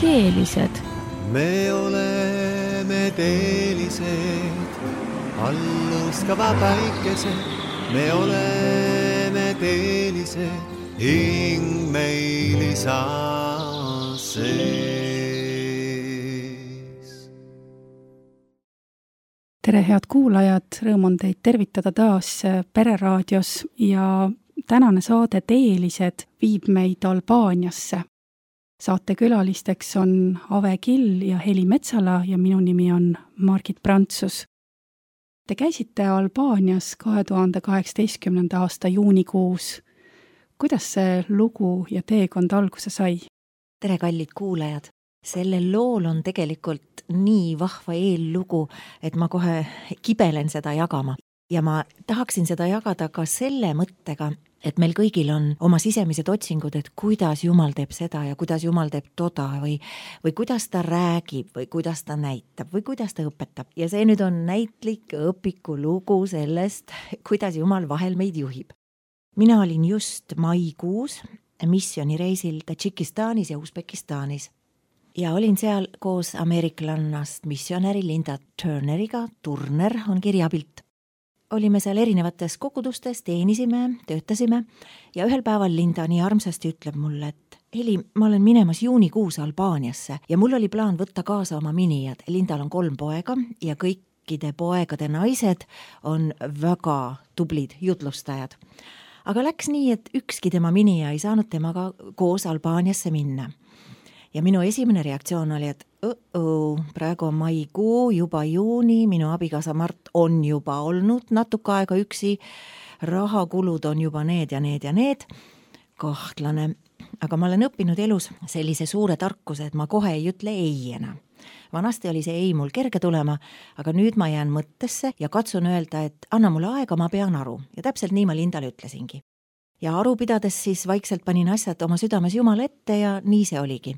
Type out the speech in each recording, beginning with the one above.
teelised. Me oleme teelised, alluskava päikesed. Me oleme teelised, hing meil isa sees. Tere, head kuulajad, rõõm on teid tervitada taas Pereraadios ja tänane saade Teelised viib meid Albaaniasse. Saate külalisteks on Ave Kill ja Heli Metsala ja minu nimi on Margit Prantsus. Te käisite Albaanias 2018. aasta juunikuus. Kuidas see lugu ja teekond alguse sai? Tere, kallid kuulajad! Sellel lool on tegelikult nii vahva eellugu, et ma kohe kibelen seda jagama. Ja ma tahaksin seda jagada ka selle mõttega, et meil kõigil on oma sisemised otsingud, et kuidas Jumal teeb seda ja kuidas Jumal teeb toda või kuidas ta räägib või kuidas ta näitab või kuidas ta õpetab. Ja see nüüd on näitlik õpiku lugu sellest, kuidas Jumal vahel meid juhib. Mina olin just maikuus missioonireisil Tadžikistanis ja Usbekistanis. Ja olin seal koos ameeriklannast missionäri Linda Turneriga, Turner on kirjapilt. Olime seal erinevates kogudustes, teenisime, töötasime ja ühel päeval Linda nii armsasti ütleb mulle, et Heli, ma olen minemas juunikuus Albaaniasse ja mul oli plaan võtta kaasa oma minijad. Lindal on 3 poega ja kõikide poegade naised on väga tublid jutlustajad. Aga läks nii, et ükski tema minija ei saanud temaga koos Albaaniasse minna. Ja minu esimene reaktsioon oli, et praegu on maikuu, juba juuni, minu abikaasa Mart on juba olnud natuke aega üksi, rahakulud on juba need ja need ja need, kahtlane. Aga ma olen õppinud elus sellise suure tarkuse, et ma kohe ei ütle ei enam. Vanasti oli see ei mul kerge tulema, aga nüüd ma jään mõttesse ja katsun öelda, et anna mulle aega, ma pean aru. Ja täpselt nii ma Lindale ütlesingi. Ja aru pidades siis vaikselt panin asjad oma südames Jumala ette ja nii see oligi.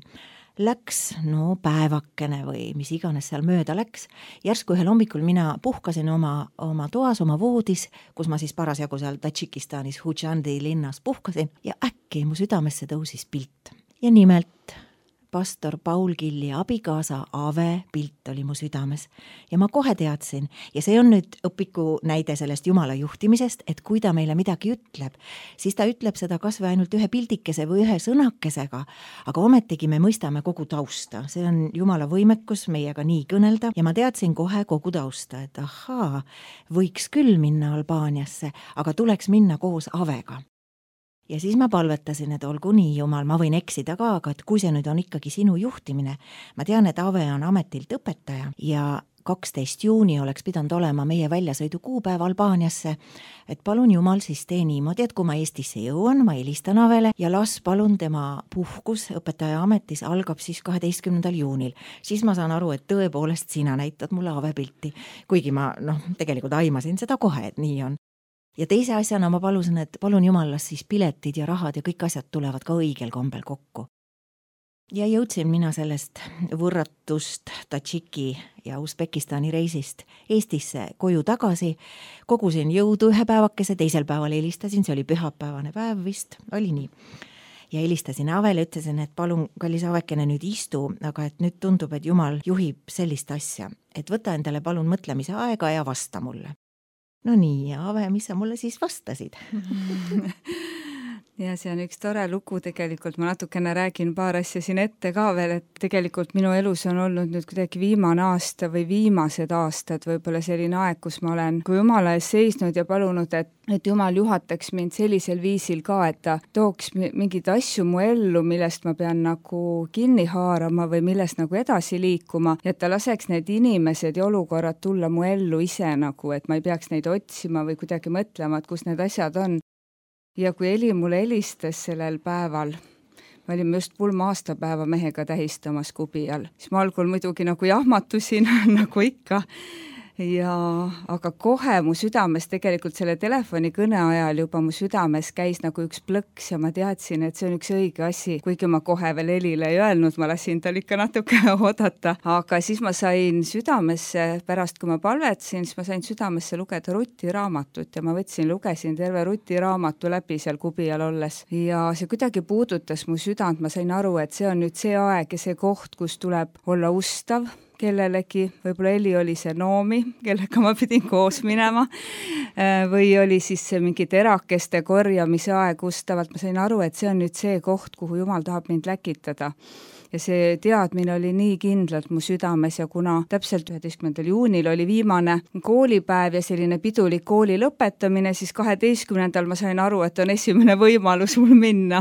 Läks, päevakene või mis iganes seal mööda läks. Järsku ühel hommikul mina puhkasin oma toas, oma voodis, kus ma siis parasjagu seal Tadžikistanis Hujandi linnas puhkasin ja äkki mu südamesse tõusis pilt. Ja nimelt pastor Paul Killi abikaasa Ave pilt oli mu südames ja ma kohe teadsin ja see on nüüd õpiku näide sellest Jumala juhtimisest, et kui ta meile midagi ütleb, siis ta ütleb seda kas või ainult ühe pildikese või ühe sõnakesega, aga ometigi me mõistame kogu tausta. See on Jumala võimekus meiega nii kõnelda ja ma teadsin kohe kogu tausta, et ahaa, võiks küll minna Albaaniasse, aga tuleks minna koos Avega. Ja siis ma palvetasin, et olgu nii, Jumal, ma võin eksida ka, aga et kui see nüüd on ikkagi sinu juhtimine, ma tean, et Ave on ametilt õpetaja ja 12. juuni oleks pidanud olema meie väljasõidu kuupäev Albaaniasse, et palun Jumal siis tee niimoodi, et kui ma Eestisse jõuan, ma helistan Avele ja las palun tema puhkus õpetaja ametis algab siis 12. juunil. Siis ma saan aru, et tõepoolest sina näitad mulle Ave pilti, kuigi ma tegelikult aimasin seda kohe, et nii on. Ja teise asjana ma palusin, et palun Jumal, las siis piletid ja rahad ja kõik asjad tulevad ka õigel kombel kokku. Ja jõudsin mina sellest võrratust Tadžiki ja Usbekistani reisist Eestisse koju tagasi, kogusin jõudu ühe päevakese, teisel päeval helistasin, see oli pühapäevane päev vist, oli nii. Ja helistasin Avele, ütlesin, et palun, kallis Avekene, nüüd istu, aga et nüüd tundub, et Jumal juhib sellist asja, et võta endale palun mõtlemise aega ja vasta mulle. No nii, ja Ave, mis sa mulle siis vastasid? Ja see on üks tore lugu tegelikult, ma natukene räägin paar asja siin ette ka veel, et tegelikult minu elus on olnud nüüd kuidagi viimane aasta või viimased aastad, võib-olla selline aeg, kus ma olen kui Jumala ees seisnud ja palunud, et Jumal juhataks mind sellisel viisil ka, et ta tooks mingeid asju mu ellu, millest ma pean nagu kinni haarama või millest nagu edasi liikuma, ja et ta laseks need inimesed ja olukorrad tulla mu ellu ise nagu, et ma ei peaks neid otsima või kuidagi mõtlema, et kus need asjad on. Ja kui Heli mulle helistas sellel päeval, me olime just pulma aastapäeva mehega tähistamas Kubial, siis ma algul muidugi nagu jahmatusin, nagu ikka, aga kohe mu südames tegelikult selle telefonikõne ajal juba mu südames käis nagu üks plõks ja ma teadsin, et see on üks õige asi, kuigi ma kohe veel Elile ei öelnud, ma lasin tal ikka natuke oodata, aga siis ma sain südamesse, pärast kui ma palvetasin, siis ma sain südamesse lugeda rutiraamatut ja ma lugesin terve rutiraamatu läbi seal Kubijal olles ja see kuidagi puudutas mu südant, ma sain aru, et see on nüüd see aeg ja see koht, kus tuleb olla ustav kellelegi, võib-olla Eli oli see noomi, kellega ma pidin koos minema, või oli siis see mingi terakeste korjamise aeg ustavalt, ma sain aru, et see on nüüd see koht, kuhu Jumal tahab mind läkitada. Ja see teadmine oli nii kindlalt mu südames ja kuna täpselt 11. juunil oli viimane koolipäev ja selline pidulik kooli lõpetamine, siis 12. ma sain aru, et on esimene võimalus mul minna.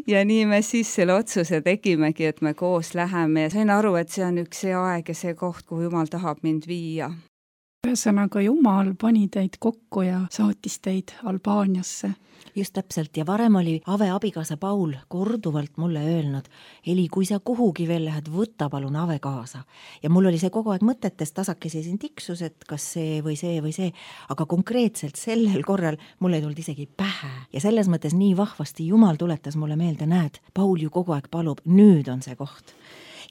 Ja nii me siis selle otsuse tegimegi, et me koos läheme ja sain aru, et see on üks see aeg ja see koht, kuhu Jumal tahab mind viia. Ühesõnaga Jumal pani teid kokku ja saatis teid Albaaniasse. Just täpselt ja varem oli Ave abikaasa Paul korduvalt mulle öelnud, Eli, kui sa kuhugi veel lähed, võtta palun Ave kaasa. Ja mul oli see kogu aeg mõtetes tasakesi siin tiksus, et kas see või see, aga konkreetselt sellel korral mul ei tulnud isegi pähe. Ja selles mõttes nii vahvasti Jumal tuletas mulle meelde, näed, Paul ju kogu aeg palub, nüüd on see koht.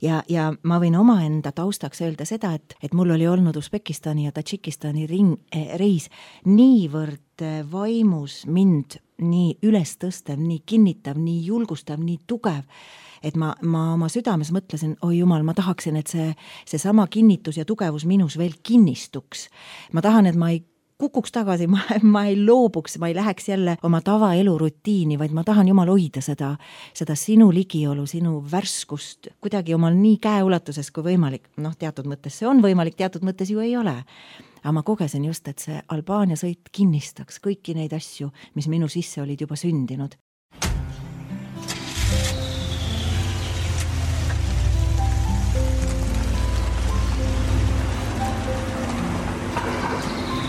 Ja ma võin omaenda taustaks öelda seda, et mul oli olnud Usbekistani ja Tadžikistani reis niivõrd vaimus mind nii üles tõstev, nii kinnitav, nii julgustav, nii tugev, et ma oma südames mõtlesin, oi Jumal, ma tahaksin, et see sama kinnitus ja tugevus minus veel kinnistuks. Ma tahan, et ma ei kukuks tagasi, ma ei loobuks, ma ei läheks jälle oma tavaelu rutiini, vaid ma tahan Jumal hoida seda sinu ligiolu, sinu värskust kuidagi omal nii käeulatuses kui võimalik. Teatud mõttes see on võimalik, teatud mõttes ju ei ole. Aga ma kogesin just, et see Albaania sõit kinnistaks kõiki neid asju, mis minu sisse olid juba sündinud.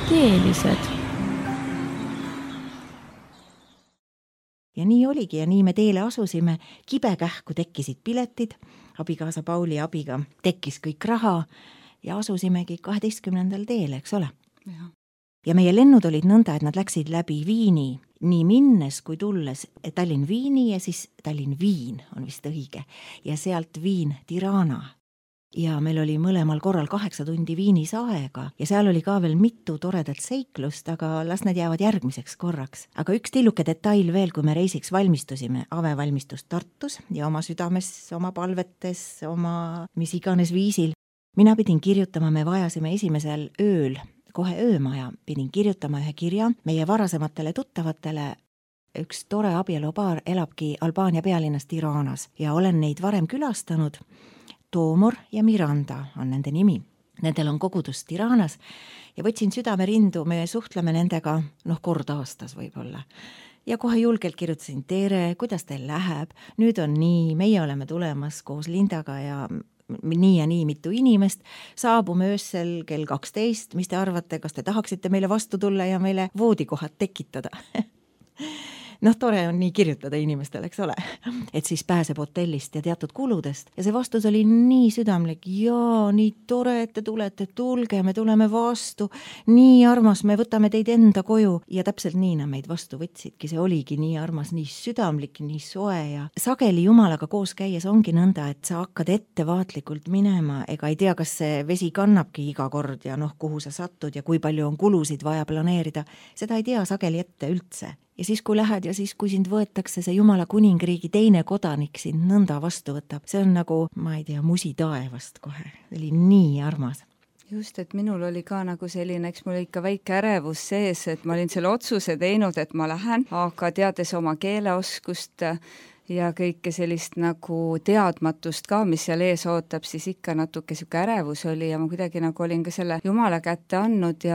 Teelised. Ja nii oligi ja nii me teele asusime, kibekähku tekkisid piletid, abikaasa Pauli abiga tekkis kõik raha ja asusimegi 12. teele, eks ole? Ja meie lennud olid nõnda, et nad läksid läbi Viini, nii minnes kui tulles Tallinn-Viini ja siis Tallinn-Viin on vist õige ja sealt Viin-Tirana. Ja meil oli mõlemal korral 8 tundi Viinis aega ja seal oli ka veel mitu toredat seiklust, aga las need jäävad järgmiseks korraks. Aga üks tilluke detail veel, kui me reisiks valmistusime, Ave valmistus Tartus ja oma südames, oma palvetes, oma mis iganes viisil. Mina pidin kirjutama, me vajasime esimesel ööl, kohe öömaja, pidin kirjutama ühe kirja meie varasematele tuttavatele. Üks tore abielupaar elabki Albaania pealinnas Tiranas ja olen neid varem külastanud. Toomor ja Miranda on nende nimi. Nendel on kogudus Tiranas ja võtsin südamerindu, me suhtleme nendega kord aastas võib-olla. Ja kohe julgelt kirjutasin, tere, kuidas teil läheb? Nüüd on nii, meie oleme tulemas koos Lindaga ja nii mitu inimest. Saabume öösel kell 12, mis te arvate, kas te tahaksite meile vastu tulla ja meile voodikohad tekitada? Tore on nii kirjutada inimestele, eks ole, et siis pääseb hotellist ja teatud kuludest. Ja see vastus oli nii südamlik, jaa, nii tore, et te tulete, tulge, me tuleme vastu, nii armas, me võtame teid enda koju. Ja täpselt nii nad meid vastu võtsidki, see oligi nii armas, nii südamlik, nii soe ja sageli Jumalaga koos käies ongi nõnda, et sa hakkad ettevaatlikult minema, ega ei tea, kas see vesi kannabki iga kord ja kuhu sa satud ja kui palju on kulusid vaja planeerida, seda ei tea sageli ette üldse. Ja siis, kui lähed ja siis, kui sind võetakse see Jumala kuningriigi teine kodanik sind nõnda vastu võtab, see on nagu, ma ei tea, musi taevast kohe. See oli nii armas. Just, et minul oli ka nagu selline, eks mul ikka väike ärevus sees, et ma olin selle otsuse teinud, et ma lähen, aga teades oma keeleoskust ja kõike sellist nagu teadmatust ka, mis seal ees ootab, siis ikka natuke siuke ärevus oli ja ma kuidagi nagu olin ka selle Jumala kätte andnud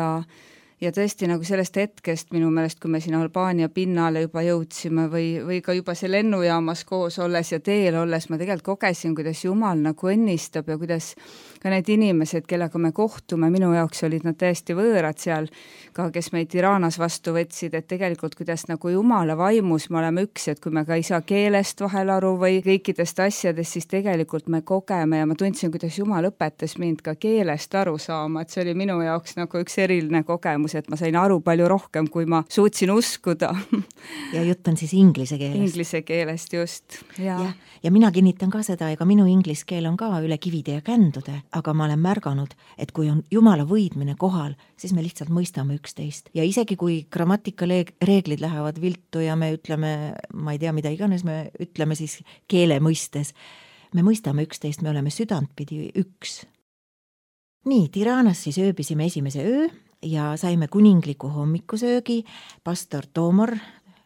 ja tõesti nagu sellest hetkest minu meelest, kui me siin Albaania pinnale juba jõudsime või ka juba see lennujaamas koos olles ja teel olles, ma tegelikult kogesin, kuidas Jumal nagu õnnistab ja kuidas ka need inimesed, kellega me kohtume, minu jaoks olid nad täiesti võõrad seal, ka kes meid Tiranas vastu võtsid, et tegelikult kuidas nagu Jumala vaimus me oleme üks, et kui me ka ei saa keelest vahel aru või kõikidest asjadest, siis tegelikult me kogeme ja ma tundsin, kuidas Jumal õpetas mind ka keelest aru saama, et see oli minu jaoks nagu üks eriline kogemus, et ma sain aru palju rohkem, kui ma suutsin uskuda. Ja jutt on siis inglise keelest. Inglise keelest just, ja mina kinnitan ka seda, ega minu inglis keel on ka üle kivide ja kändude, aga ma olen märganud, et kui on Jumala võidmine kohal, siis me lihtsalt mõistame üksteist. Ja isegi kui grammatikareeglid lähevad viltu ja me ütleme, ma ei tea, mida iganes me ütleme siis keele mõistes, me mõistame üksteist, me oleme südantpidi üks. Nii, Tiranas siis ööbisime esimese öö ja saime kuningliku hommikusöögi, pastor Toomor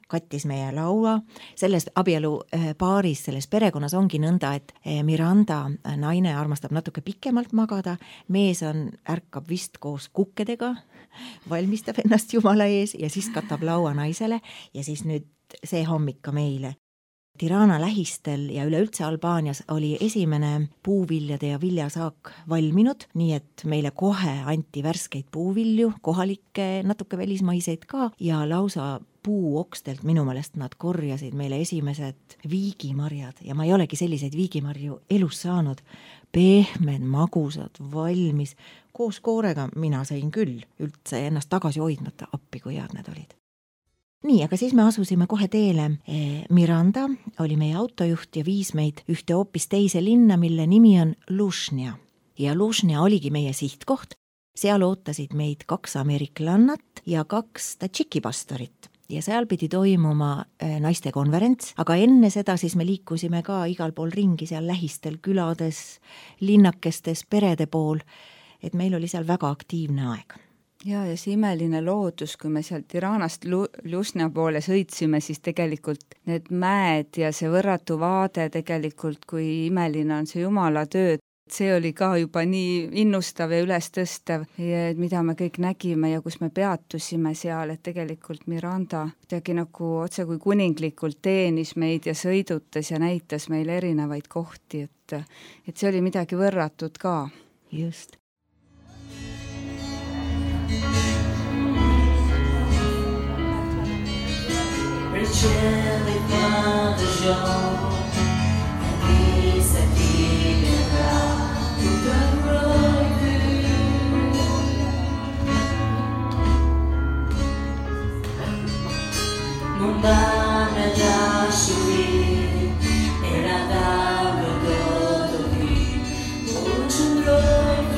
kattis meie laua. Selles abielu paaris, selles perekonnas ongi nõnda, et Miranda naine armastab natuke pikemalt magada, mees ärkab vist koos kukkedega, valmistab ennast Jumala ees ja siis katab laua naisele ja siis nüüd see hommik ka meile. Tirana lähistel ja üleüldse Albaanias oli esimene puuviljade ja viljasaak valminud, nii et meile kohe anti värskeid puuvilju, kohalikke, natuke välismaiseid ka ja lausa puuokstelt minu meelest nad korjasid meile esimesed viigimarjad ja ma ei olegi selliseid viigimarju elus saanud. Pehmed, magusad, valmis, koos koorega mina sain küll üldse ennast tagasi hoidmata, appi kui head need olid. Nii, aga siis me asusime kohe teele. Miranda oli meie autojuht ja viis meid ühte hoopis teise linna, mille nimi on Lužnja. Ja Lužnja oligi meie sihtkoht. Seal ootasid meid 2 ameeriklannat ja 2 tadžikipastorit. Ja seal pidi toimuma naiste konverents, aga enne seda siis me liikusime ka igal pool ringi seal lähistel külades, linnakestes, perede pool, et meil oli seal väga aktiivne aeg. Ja see imeline loodus, kui me seal Tiranast Lužnja poole sõitsime, siis tegelikult need mäed ja see võrratu vaade tegelikult, kui imeline on see Jumala töö, see oli ka juba nii innustav ja ülestõstev, mida me kõik nägime ja kus me peatusime seal, et tegelikult Miranda kuidagi nagu otse kui kuninglikult teenis meid ja sõidutas ja näitas meile erinevaid kohti, et see oli midagi võrratut ka. Just. Ricelli Padre Jean e chi se figherà tutto il rodu non va me già sui e la dame godo di un rodu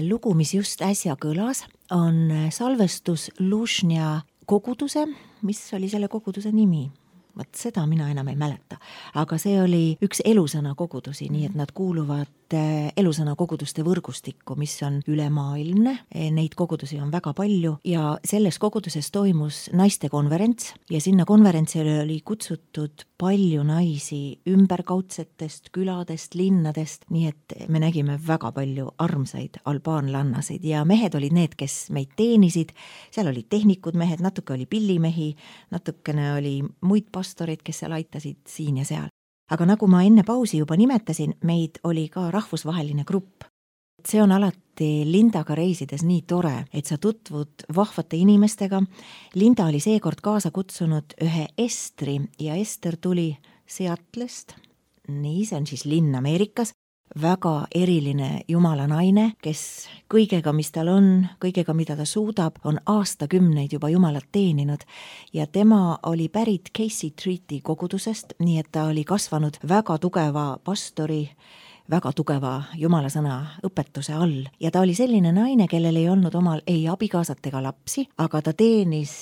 lugu, mis just äsja kõlas, on salvestus Lužnja koguduse, mis oli selle koguduse nimi? Vot seda mina enam ei mäleta, aga see oli üks elusõna kogudusi, nii et nad kuuluvad elusõna koguduste võrgustikku, mis on ülemaailmne, neid kogudusi on väga palju ja selles koguduses toimus naistekonverents ja sinna konverentsile oli kutsutud palju naisi ümberkaudsetest küladest, linnadest, nii et me nägime väga palju armsaid albaanlannasid ja mehed olid need, kes meid teenisid, seal olid tehnikud mehed, natuke oli pillimehi, natukene oli muid pastorid, kes seal aitasid siin ja seal. Aga nagu ma enne pausi juba nimetasin, meid oli ka rahvusvaheline grupp. See on alati Lindaga reisides nii tore, et sa tutvud vahvate inimestega. Linda oli seekord kaasa kutsunud ühe Estri ja Ester tuli Seatlest. Nii, see on siis linn Ameerikas. Väga eriline jumala naine, kes kõigega, mis tal on, kõigega, mida ta suudab, on aastakümneid juba jumalat teeninud ja tema oli pärit Casey Treaty kogudusest, nii et ta oli kasvanud väga tugeva pastori, väga tugeva jumalasõna õpetuse all ja ta oli selline naine, kellel ei olnud omal ei abikaasat ega lapsi, aga ta teenis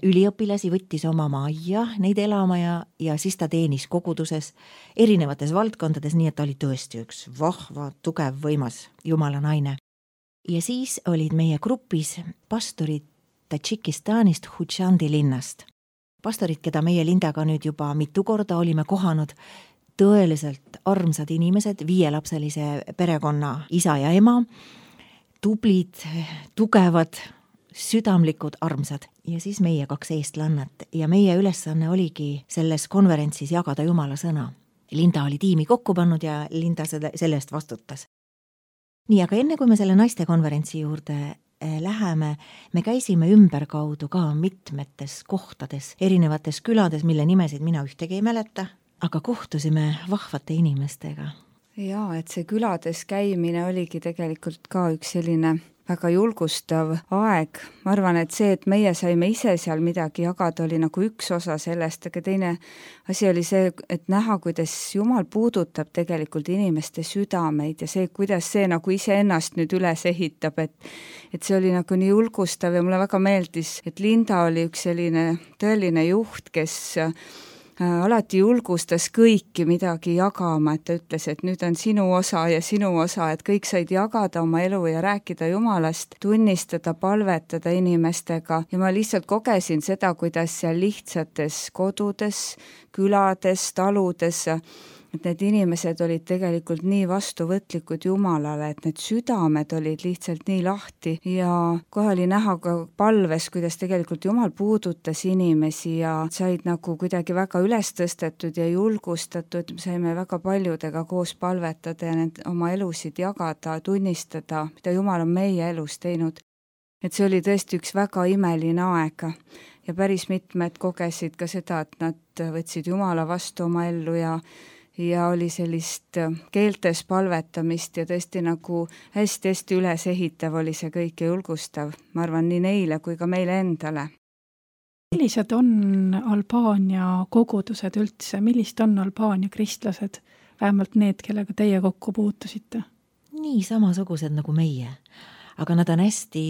üliõpilasi, võttis oma majja neid elama ja siis ta teenis koguduses erinevates valdkondades, nii et ta oli tõesti üks vahva, tugev, võimas jumala naine. Ja siis olid meie grupis pastorid Tadžikistanist Hutšandi linnast. Pastorid, keda meie Lindaga nüüd juba mitu korda olime kohanud, tõeliselt armsad inimesed, 5-lapselise perekonna isa ja ema, tublid, tugevad, südamlikud, armsad. Ja siis meie 2 eestlannat ja meie ülesanne oligi selles konverentsis jagada jumala sõna. Linda oli tiimi kokku pannud ja Linda selle eest vastutas. Nii, aga enne kui me selle naiste konverentsi juurde läheme, me käisime ümberkaudu ka mitmetes kohtades, erinevates külades, mille nimesid mina ühtegi ei mäleta, aga kohtusime vahvate inimestega. Jaa, et see külades käimine oligi tegelikult ka üks selline väga julgustav aeg. Ma arvan, et see, et meie saime ise seal midagi jagada, oli nagu üks osa sellest, aga teine asi oli see, et näha, kuidas Jumal puudutab tegelikult inimeste südameid ja see, kuidas see nagu iseennast nüüd üles ehitab, et see oli nagu nii julgustav ja mulle väga meeldis, et Linda oli üks selline tõeline juht, kes alati julgustas kõiki midagi jagama, et ta ütles, et nüüd on sinu osa ja sinu osa, et kõik said jagada oma elu ja rääkida Jumalast, tunnistada, palvetada inimestega ja ma lihtsalt kogesin seda, kuidas seal lihtsates kodudes, külades, taludes, et need inimesed olid tegelikult nii vastuvõtlikud Jumalale, et need südamed olid lihtsalt nii lahti ja kohe oli näha ka palves, kuidas tegelikult Jumal puudutas inimesi ja said nagu kuidagi väga üles tõstetud ja julgustatud, saime väga paljudega koos palvetada ja need oma elusid jagada, tunnistada, mida Jumal on meie elus teinud. Et see oli tõesti üks väga imeline aeg ja päris mitmed kogesid ka seda, et nad võtsid Jumala vastu oma ellu ja oli sellist keeltes palvetamist ja tõesti nagu hästi-hästi üles ehitav oli see kõik ja julgustav, ma arvan, nii neile kui ka meile endale. Millised on Albaania kogudused üldse? Millist on Albaania kristlased? Vähemalt need, kellega teie kokku puutusite? Nii samasugused nagu meie, aga nad on hästi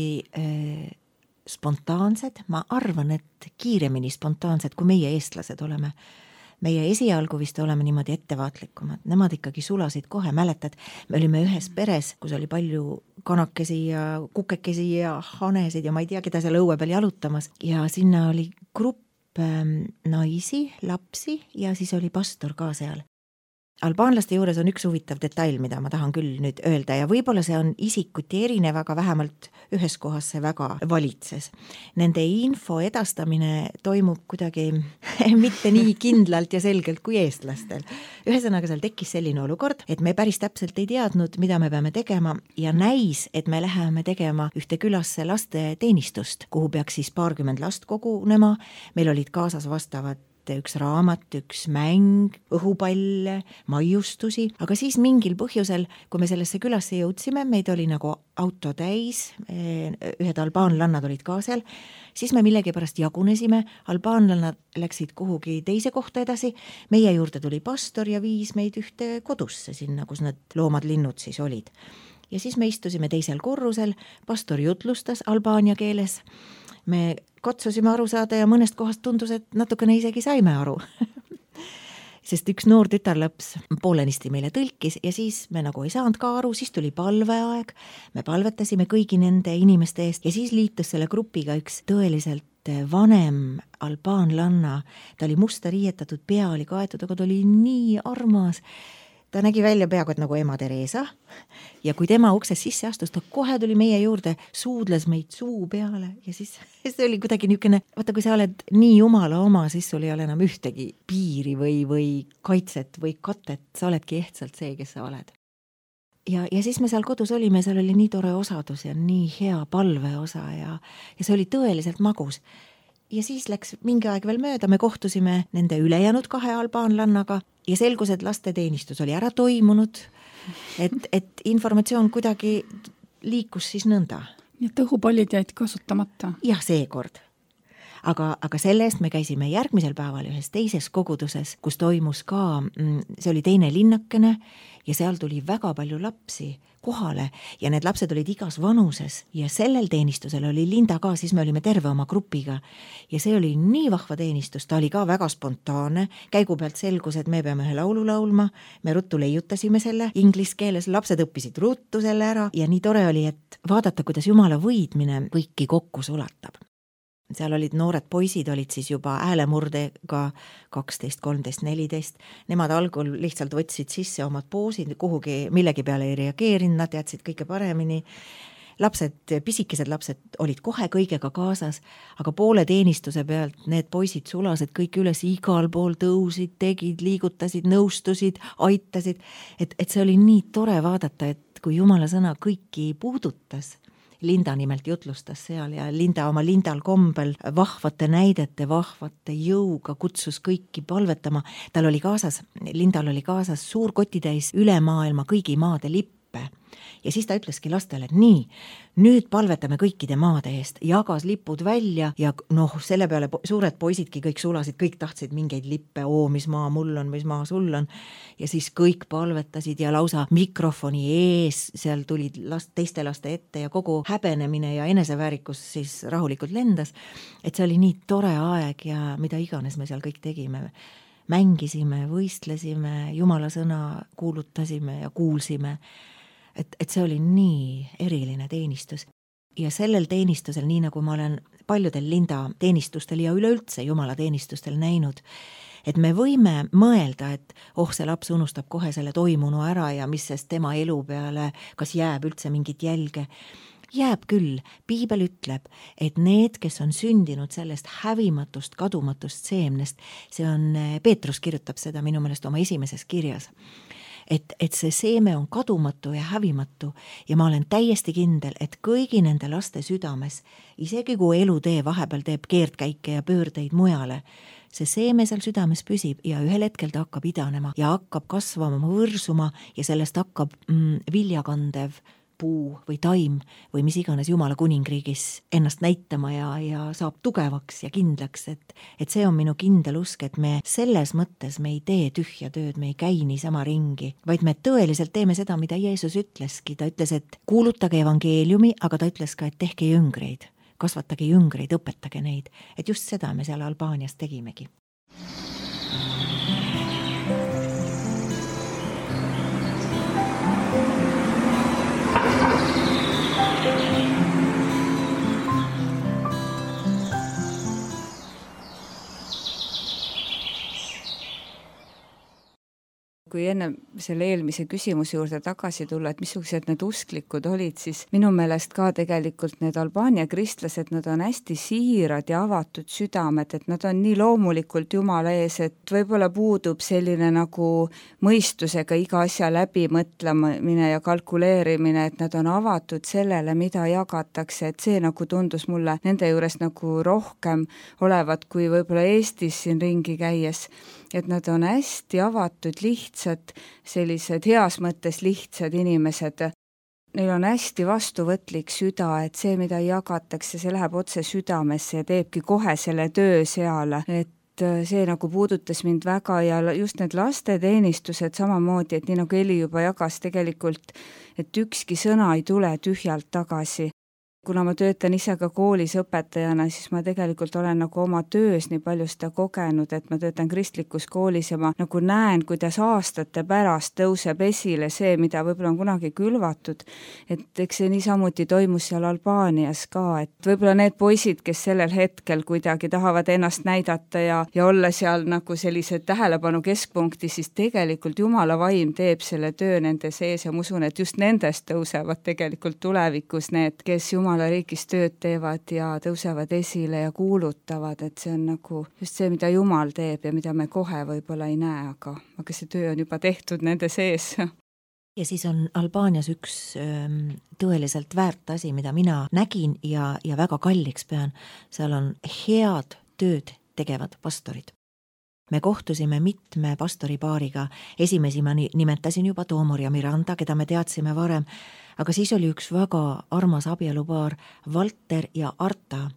spontaansed, ma arvan, et kiiremini spontaansed, kui meie eestlased oleme. Meie esialgu vist oleme niimoodi ettevaatlikumad. Nemad ikkagi sulasid kohe, mäletad, me olime ühes peres, kus oli palju kanakesi ja kukekesi ja hanesid ja ma ei tea, keda seal õue peal jalutamas. Ja sinna oli grupp naisi, lapsi ja siis oli pastor ka seal. Albaanlaste juures on üks huvitav detail, mida ma tahan küll nüüd öelda ja võib-olla see on isikuti erinev, aga vähemalt ühes kohas see väga valitses. Nende info edastamine toimub kuidagi mitte nii kindlalt ja selgelt kui eestlastel. Ühesõnaga seal tekkis selline olukord, et me päris täpselt ei teadnud, mida me peame tegema ja näis, et me läheme tegema ühte külasse laste teenistust, kuhu peaks siis 20 last kogunema. Meil olid kaasas vastavad üks raamat, üks mäng, õhupall, maiustusi, aga siis mingil põhjusel, kui me sellesse külasse jõudsime, meid oli nagu auto täis, ühed albaanlannad olid ka seal, siis me millegipärast jagunesime, albaanlannad läksid kuhugi teise kohta edasi, meie juurde tuli pastor ja viis meid ühte kodusse sinna, kus need loomad, linnud siis olid. ja siis me istusime teisel korrusel, pastor jutlustas albaania keeles, me katsusime aru saada ja mõnest kohast tundus, et natukene isegi saime aru. Sest üks noor tütarlaps poolenisti meile tõlkis ja siis me nagu ei saanud ka aru, siis tuli palveaeg, me palvetasime kõigi nende inimeste eest ja siis liitus selle grupiga üks tõeliselt vanem albaanlanna, ta oli musta riietatud, pea oli kaetud, aga ta oli nii armas. Ta nägi välja peaaegu, et nagu ema Teresa ja kui tema uksest sisse astus, ta kohe tuli meie juurde, suudles meid suu peale ja siis see oli kuidagi niisugune, vaata kui sa oled nii jumala oma, siis sul ei ole enam ühtegi piiri või kaitset või katet, sa oledki ehtsalt see, kes sa oled. Ja siis me seal kodus olime, seal oli nii tore osadus ja nii hea palveosa ja see oli tõeliselt magus. Ja siis läks mingi aeg veel mööda, me kohtusime nende ülejäänud 2 albaanlannaga ja selgus, et lasteteenistus oli ära toimunud, et informatsioon kuidagi liikus siis nõnda. Ja õhupallid jäid kasutamata? Jah, seekord. Aga selle eest me käisime järgmisel päeval ühes teises koguduses, kus toimus ka, see oli teine linnakene ja seal tuli väga palju lapsi kohale ja need lapsed olid igas vanuses ja sellel teenistusel oli Linda ka, siis me olime terve oma grupiga ja see oli nii vahva teenistus, ta oli ka väga spontaanne, käigu pealt selgus, et me peame ühe laulu laulma, me ruttu leiutasime selle inglise keeles, lapsed õppisid ruttu selle ära ja nii tore oli, et vaadata, kuidas Jumala võidmine kõiki kokku sulatab. Seal olid noored poisid, olid siis juba häälemurdega 12, 13, 14. Nemad algul lihtsalt võtsid sisse omad poosid, kuhugi millegi peale ei reageerinud, nad teadsid kõige paremini. Lapsed, pisikesed lapsed olid kohe kõigega kaasas, aga poole teenistuse pealt need poisid sulasid kõik üles, igal pool tõusid, tegid, liigutasid, nõustusid, aitasid. Et see oli nii tore vaadata, et kui Jumala sõna kõiki puudutas, Linda nimelt jutlustas seal ja Linda oma Lindal kombel vahvate näidete, vahvate jõuga kutsus kõiki palvetama. Tal oli kaasas, Lindal oli kaasas suur kotitäis üle maailma kõigi maade lippe. Ja siis ta ütleski lastele, et nii, nüüd palvetame kõikide maade eest, jagas lipud välja ja selle peale suured poisidki kõik sulasid, kõik tahtsid mingeid lippe, mis maa mul on, mis maa sul on. Ja siis kõik palvetasid ja lausa mikrofoni ees, seal tulid teiste laste ette ja kogu häbenemine ja eneseväärikus siis rahulikult lendas. Et see oli nii tore aeg ja mida iganes me seal kõik tegime. Mängisime, võistlesime, Jumala sõna kuulutasime ja kuulsime. Et see oli nii eriline teenistus. Ja sellel teenistusel, nii nagu ma olen paljudel Linda teenistustel ja üleüldse Jumala teenistustel näinud, et me võime mõelda, et see laps unustab kohe selle toimunu ära ja mis sest tema elu peale, kas jääb üldse mingit jälge. Jääb küll, Piibel ütleb, et need, kes on sündinud sellest hävimatust, kadumatust seemnest, see on, Peetrus kirjutab seda minu meelest oma esimeses kirjas, et see seeme on kadumatu ja hävimatu ja ma olen täiesti kindel, et kõigi nende laste südames, isegi kui elutee vahepeal teeb keerdkäike ja pöördeid mujale, see seeme seal südames püsib ja ühel hetkel ta hakkab idanema ja hakkab kasvama, võrsuma ja sellest hakkab viljakandev puu või taim või mis iganes Jumala kuningriigis ennast näitama ja saab tugevaks ja kindlaks, et see on minu kindel usk, et me selles mõttes me ei tee tühja tööd, me ei käi niisama ringi, vaid me tõeliselt teeme seda, mida Jeesus ütleski, ta ütles, et kuulutage evangeeliumi, aga ta ütles ka, et tehke jüngreid, kasvatage jüngreid, õpetage neid, et just seda me seal Albaanias tegimegi. Kui enne selle eelmise küsimuse juurde tagasi tulla, et missugused need usklikud olid, siis minu meelest ka tegelikult need Albaania kristlased, nad on hästi siirad ja avatud südamed, et nad on nii loomulikult Jumala ees, et võib-olla puudub selline nagu mõistusega iga asja läbi mõtlemine ja kalkuleerimine, et nad on avatud sellele, mida jagatakse, et see nagu tundus mulle nende juures nagu rohkem olevat kui võib-olla Eestis siin ringi käies, et nad on hästi avatud, lihtsad, sellised heas mõttes lihtsad inimesed. Neil on hästi vastuvõtlik süda, et see, mida jagatakse, see läheb otse südamesse ja teebki kohe selle töö seal, et see nagu puudutas mind väga ja just need lasteteenistused samamoodi, et nii nagu Eli juba jagas tegelikult, et ükski sõna ei tule tühjalt tagasi. Kuna ma töötan ise ka koolis õpetajana, siis ma tegelikult olen nagu oma töös nii palju seda kogenud, et ma töötan kristlikus koolis ja ma nagu näen, kuidas aastate pärast tõuseb esile see, mida võib-olla on kunagi külvatud. Et eks see niisamuti toimus seal Albaanias ka, et võib-olla need poisid, kes sellel hetkel kuidagi tahavad ennast näidata ja olla seal nagu sellised tähelepanu keskpunkti, siis tegelikult Jumala vaim teeb selle töö nende sees ja ma usun, et just nendest tõusevad tegelikult tulevikus need, kes Jumala riigis tööd teevad ja tõusevad esile ja kuulutavad, et see on nagu just see, mida Jumal teeb ja mida me kohe võib-olla ei näe, aga see töö on juba tehtud nende sees. Ja siis on Albaanias üks tõeliselt väärt asi, mida mina nägin ja väga kalliks pean. Seal on head tööd tegevad pastorid. Me kohtusime mitme pastoripaariga, esimesi ma nimetasin juba Toomor ja Miranda, keda me teadsime varem, aga siis oli üks väga armas abielupaar, Valter ja Arta.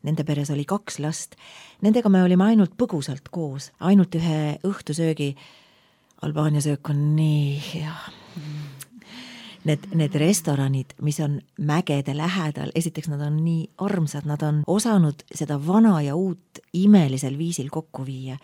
Nende peres oli 2 last. Nendega me olime ainult põgusalt koos, ainult ühe õhtusöögi. Albaania söök on nii hea. Need restoranid, mis on mägede lähedal, esiteks nad on nii armsad, nad on osanud seda vana ja uut imelisel viisil kokku viia.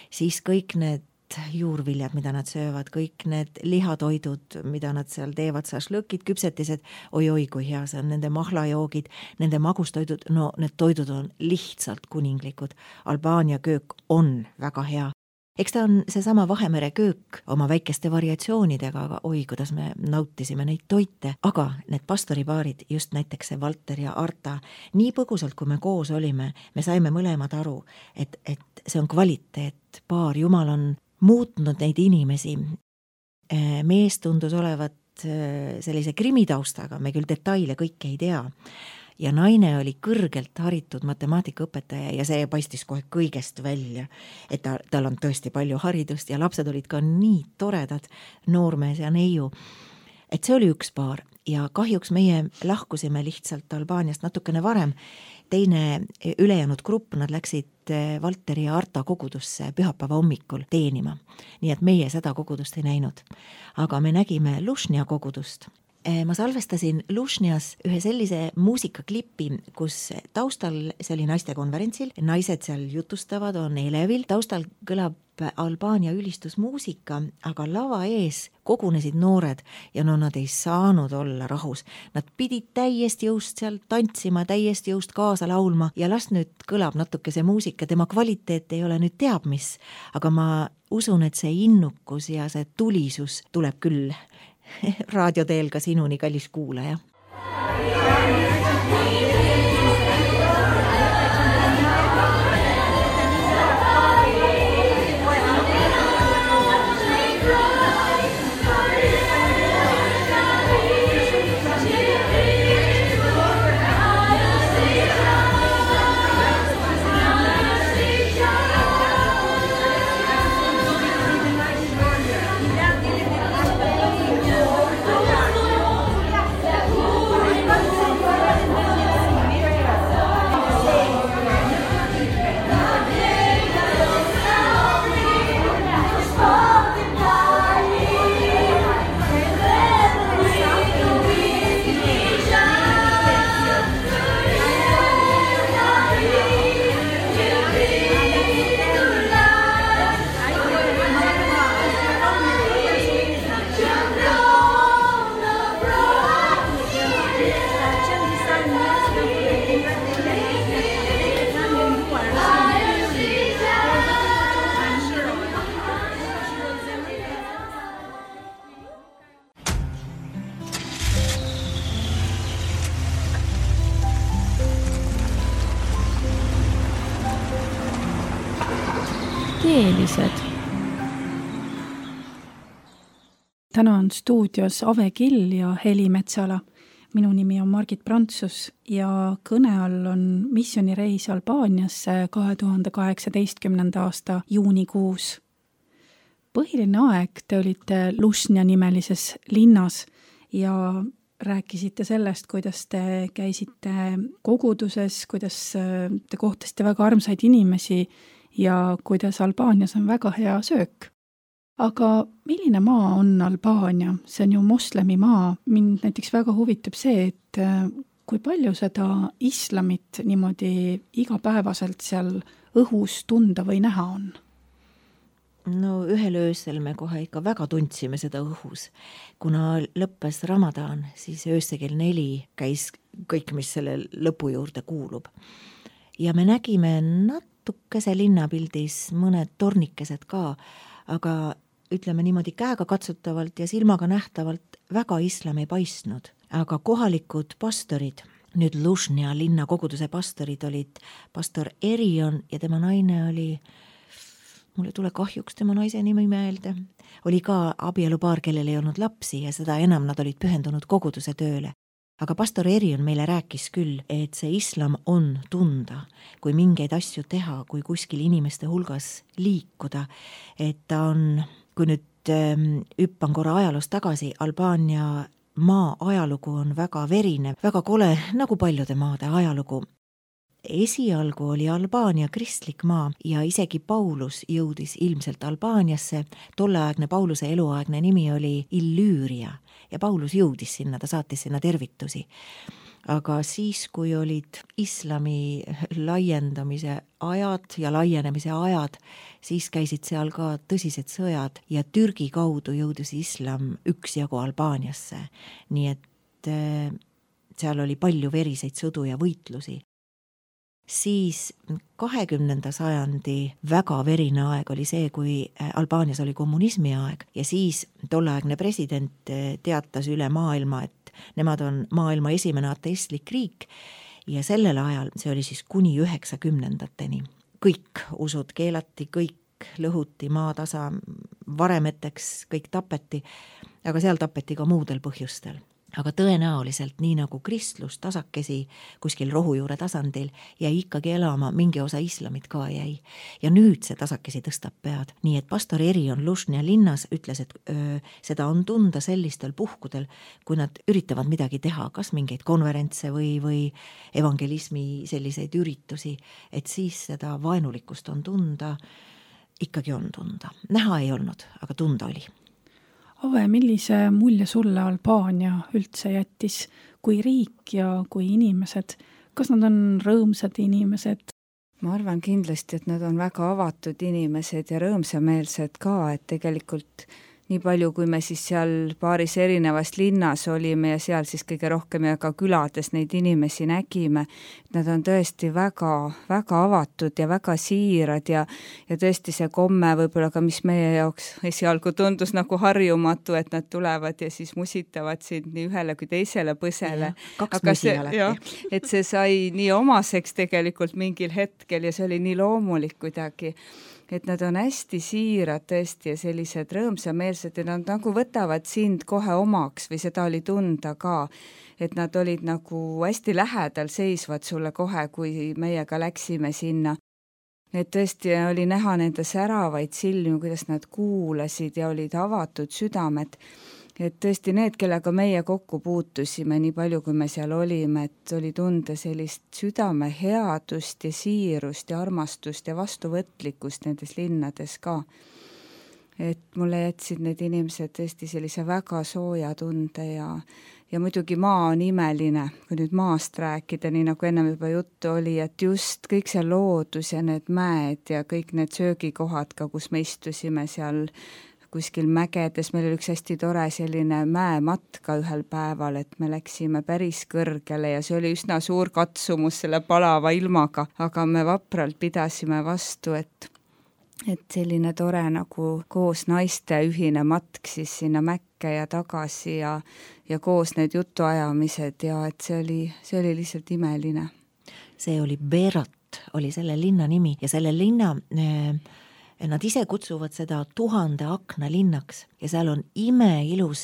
Siis kõik need juurviljad, mida nad söövad, kõik need lihatoidud, mida nad seal teevad, šašlõkid, küpsetised, oi, kui hea see on, nende mahlajoogid, nende magustoidud, no need toidud on lihtsalt kuninglikud. Albaania köök on väga hea. Eks ta on seesama Vahemere köök oma väikeste variatsioonidega, aga oi, kuidas me nautisime neid toite. Aga need pastoripaarid, just näiteks see Valter ja Arta, nii põgusalt, kui me koos olime, me saime mõlemad aru, et see on kvaliteet. Paar Jumal on muutnud neid inimesi. Mees tundus olevat sellise krimitaustaga, me küll detaile kõike ei tea. Ja naine oli kõrgelt haritud matemaatikaõpetaja ja see paistis kohe kõigest välja, et tal on tõesti palju haridust ja lapsed olid ka nii toredad, noormees ja neiu. Et see oli üks paar ja kahjuks meie lahkusime lihtsalt Albaaniast natukene varem. Teine ülejäänud grupp, nad läksid Valteri ja Arta kogudusse pühapäeva hommikul teenima, nii et meie seda kogudust ei näinud. Aga me nägime Lušnja kogudust. Ma salvestasin Lušnjas ühe sellise muusikaklipi, kus taustal, see oli naistekonverentsil, naised seal jutustavad, on elevil, taustal kõlab Albaania ülistusmuusika, aga lava ees kogunesid noored ja nad ei saanud olla rahus. Nad pidid täiesti jõust seal tantsima, täiesti jõust kaasa laulma ja las nüüd kõlab natuke see muusika, tema kvaliteet ei ole nüüd teab mis, aga ma usun, et see innukus ja see tulisus tuleb küll raadioteel ka sinuni, kallis kuulaja. Teelised. Täna on stuudios Ave Kill ja Heli Metsala. Minu nimi on Margit Prantsus ja kõne all on missioonireis Albaaniasse 2018. aasta juunikuus. Põhiline aeg te olite Lušnja nimelises linnas ja rääkisite sellest, kuidas te käisite koguduses, kuidas te kohtasite väga armsaid inimesi ja kuidas Albaanias on väga hea söök. Aga milline maa on Albaania? See on ju moslemi maa. Mind näiteks väga huvitab see, et kui palju seda islamit niimoodi igapäevaselt seal õhus tunda või näha on? No ühel öösel me kohe ikka väga tundsime seda õhus. Kuna lõppes Ramadan, siis öösel kell 4 käis kõik, mis selle lõpu juurde kuulub. Ja me nägime natukese linnapildis mõned tornikesed ka, aga ütleme niimoodi käega katsutavalt ja silmaga nähtavalt väga islam ei paistnud. Aga kohalikud pastorid, nüüd Lužnja linna koguduse pastorid olid pastor Erion ja tema naine oli, mulle tule kahjuks tema naise nimi meelde, oli ka abielupaar, kellel ei olnud lapsi ja seda enam nad olid pühendunud koguduse tööle. Aga pastor Erion meile rääkis küll, et see islam on tunda, kui mingeid asju teha, kui kuskil inimeste hulgas liikuda, et ta on, kui nüüd hüppan korra ajaloos tagasi, Albaania maa ajalugu on väga verine, väga kole, nagu paljude maade ajalugu. Esialgu oli Albaania kristlik maa ja isegi Paulus jõudis ilmselt Albaaniasse. Tolleaegne Pauluse eluaegne nimi oli Illüüria ja Paulus jõudis sinna, ta saatis sinna tervitusi. Aga siis, kui olid islami laiendamise ajad ja laienemise ajad, siis käisid seal ka tõsised sõjad ja Türgi kaudu jõudis islam üksjagu Albaaniasse. Nii et seal oli palju veriseid sõdu ja võitlusi. Siis 20. sajandi väga verine aeg oli see, kui Albaanias oli kommunismi aeg ja siis tolleaegne president teatas üle maailma, et nemad on maailma esimene ateistlik riik ja sellel ajal, see oli siis kuni 90-ndateni. Kõik usud keelati, kõik lõhuti maatasa, varemeteks kõik tapeti, aga seal tapeti ka muudel põhjustel. Aga tõenäoliselt nii nagu kristlus tasakesi kuskil rohujuure tasandil jäi ikkagi elama, mingi osa islamit ka jäi. Ja nüüd see tasakesi tõstab pead. Nii et pastor Erion Lužnja linnas ütles, et seda on tunda sellistel puhkudel, kui nad üritavad midagi teha, kas mingeid konverentse või evangelismi selliseid üritusi, et siis seda vaenulikkust on tunda, ikkagi on tunda. Näha ei olnud, aga tunda oli. Ave, millise mulje sulle Albaania üldse jättis, kui riik ja kui inimesed? Kas nad on rõõmsad inimesed? Ma arvan kindlasti, et nad on väga avatud inimesed ja rõõmsameelsed ka, et tegelikult nii palju, kui me siis seal paaris erinevas linnas olime ja seal siis kõige rohkem ja ka külades neid inimesi nägime, nad on tõesti väga, väga avatud ja väga siirad ja tõesti see komme võib-olla ka, mis meie jaoks esialgu tundus nagu harjumatu, et nad tulevad ja siis musitavad sind nii ühele kui teisele põsele. Kaks musi alati. Et see sai nii omaseks tegelikult mingil hetkel ja see oli nii loomulik kuidagi. Et nad on hästi siirad tõesti ja sellised rõõmsameelsed ja nad nagu võtavad sind kohe omaks või seda oli tunda ka, et nad olid nagu hästi lähedal seisvad sulle kohe, kui meiega läksime sinna. Et tõesti oli näha nende säravaid silmi, kuidas nad kuulasid ja olid avatud südamed. Et tõesti need, kellega meie kokku puutusime, nii palju kui me seal olime, et oli tunda sellist südame headust ja siirust ja armastust ja vastuvõtlikkust nendes linnades ka. Et mulle jätsid need inimesed tõesti sellise väga sooja tunde ja muidugi maa on imeline, kui nüüd maast rääkida, nii nagu ennem juba juttu oli, et just kõik see loodus ja need mäed ja kõik need söögikohad ka, kus me istusime seal kuskil mägedes, meil oli üks hästi tore selline mäematka ühel päeval, et me läksime päris kõrgele ja see oli üsna suur katsumus selle palava ilmaga, aga me vapralt pidasime vastu, et selline tore nagu koos naiste ühine matk siis sinna mäkke ja tagasi ja koos need jutuajamised ja et see oli lihtsalt imeline. See oli Berat, oli selle linna nimi ja selle linna nad ise kutsuvad seda 1000 akna linnaks ja seal on imeilus